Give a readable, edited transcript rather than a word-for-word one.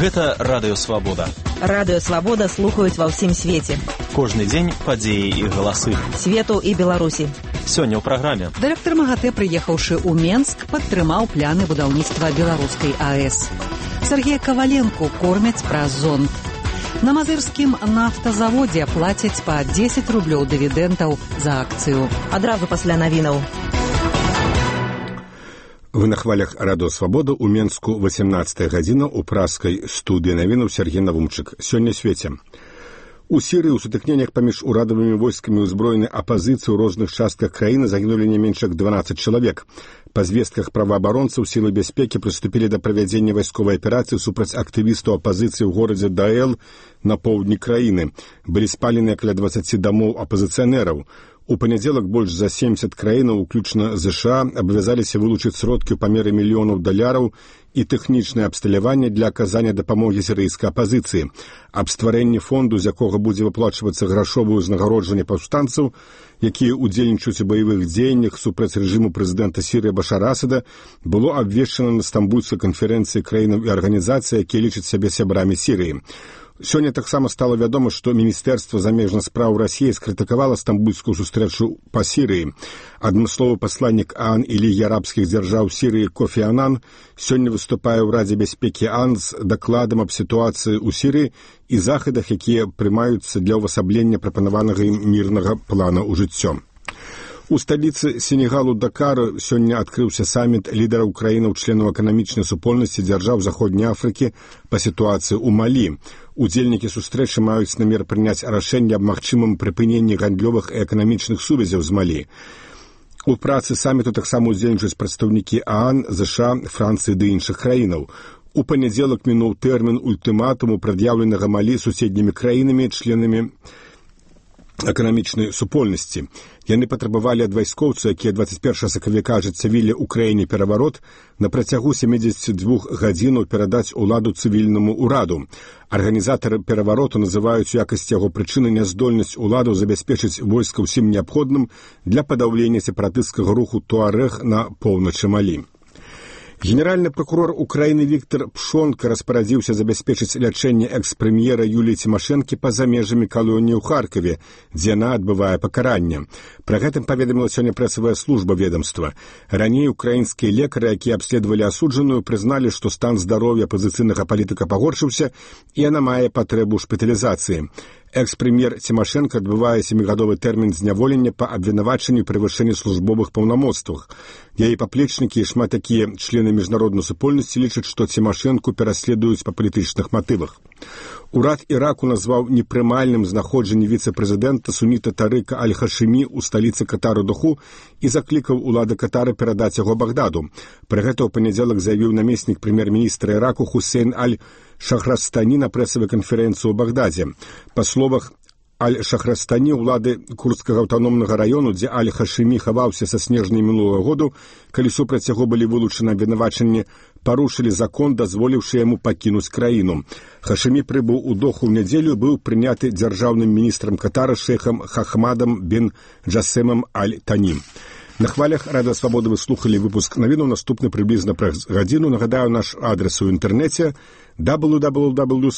Гэта Радыё Свабода. Радыё Свабода слухаюць ва ўсім свеце. Кожны дзень падзеі і галасы. Свету і Беларусі. Сёння ў праграме. Дырэктар МАГАТЭ, прыехаўшы ў Менск, падтрымаў пляны будаўніцтва беларускай АЭС. Сергея Каваленку кормяць праз зонд. На мазырскім нафтазаводзе плацяць па 10 рублёў дывідэнтаў за акцыю. Адразу пасля навінаў. Вы на хвалях Радыё Свабода ў Менску 18 гадзіна ў праскай студыі навінаў Сергей Навумчык. Сёння свеце. У Сірыі ў сутыкненнях паміж урадавымі войскамі ўзброенай апазіцыі ў розных частках краіны загінулі не менш як 12 чалавек. Па звестках праваабаронцаў сілы бяспекі прыступілі да правядзення вайсковай аперацыі супраць актывістаў апазіцыі ў горадзе Даэл на поўдні краіны. Былі спаленыя каля 20 дамоў апазіцыянераў. У панядзелак больш за 70 краінаў, уключна ЗША, абавязаліся вылучыць сродкі ў памеры мільёнаў даляраў і тэхнічнае абсталяванне для аказання дапамогі сірыйскай апазіцыі. Аб стварэнні фонду, з якога будзе выплачвацца грашовае ўзнагароджанне паўстанцаў, якія ўдзельнічаюць у баявых дзеяннях супраць рэжыму прэзідэнта Сірыі Башара Асада, было абвешчана на стамбульскай канферэнцыі краінаў і арганізацый, якія лічаць сябе сябрамі Сірыі. Сёння таксама стала вядома, што Міністэрства замежных спраў Расіі скрытыкавала стамбульскую сустрэчу па Сірыі. Адмысловы пасланнік ААН і Лігі арабскіх дзяржаў Сірыі Кофі Анан сёння выступае ў Радзе бяспекі ААН з дакладам аб сітуацыі ў Сірыі і захадах, якія прымаюцца для ўвасаблення прапанаванага ім мірнага плана ў жыццё. У сталіцы Сенегалу Дакар сёння адкрыўся саміт лідараў краінаў-членаў эканамічнай супольнасці дзяржаў Заходняй Афрыкі па сітуацыі ў Малі. Удзельнікі сустрэчы маюць намер прыняць рашэнне аб магчымым прыпыненні гандлёвых і эканамічных сувязяў з Малі. У працы саміту таксама удзельнічаюць прадстаўнікі ААН, ЗША, Францыі ды іншых краінаў. У панядзелак мінуў тэрмін ультыматуму, прад'яўленага Малі суседнімі краінамі, членамі эканамічнай супольнасці. Яны патрабавалі ад вайскоўцаў, якія 21 сакавіка ажыццявілі ў краіне пераварот, на працягу 72 гадзінаў перадаць уладу цывільнаму ўраду. Арганізатары перавароту называюць у якасці яго прычыны няздольнасць уладу забяспечыць войска ўсім неабходным для падаўлення сепаратысцкага руху Туарэг на поўначы Малі. Генеральны прокурор Украіны Віктор Пшонка распарадзіўся забяспечыць лячэнне экс-прэм'ера Юліі Цімашэнкі па-за межамі калоніі ў Харкаве, дзе яна адбывае пакаранне. Пра гэтым паведаміла сёння прэсавая служба ведамства. Раней украінскія лекары, якія абследавалі асуджаную, прызналі, што стан здароўя апазіцыйнага палітыка пагоршыўся і яна мае патрэбу шпіталізацыі. Экс-прэм'ер Цімашэнка адбывае 7-гадовы тэрмін зняволення па абвінавачанні превышэння службовых паўнамоцтвах. Яе паплечнікі і шмат такія члены міжнароднай супольнасці лічаць, што Цімашэнку пераследуюць па палітычных матывах. Урад Іраку назваў непрымальным знаходжанне віцэ-прэзідэнта суніта Тарыка Аль-Хашымі ў сталіцы Катару Доху і заклікаў улады Катара перадаць яго Багдаду. Пры гэта ў панядзелак заявіў намеснік прэм'ер-міністра Іраку Хусейн Аль-Шахрастані на прэсавай канферэнцыі ў Багдадзе. Па словах Аль-Шахрастані, улады курдскага аўтаномнага раёну, дзе Аль-Хашымі хаваўся са снежня мінулага году, калі супраць яго былі вылучаны абвінавачанні, парушылі закон, дазволіўшы яму пакінуць краіну. Хашымі прыбыў у Доху ў нядзелю, быў прыняты дзяржаўным міністрам Катара шэйхам Хахмадам бен Джасемам Аль-Танім. На хвалях Радыё Свабода вы слухалі выпуск навінаў, наступны прыблізна праз гадзіну. Нагадаю, наш адрес у інтэрнэце www.svoboda.org.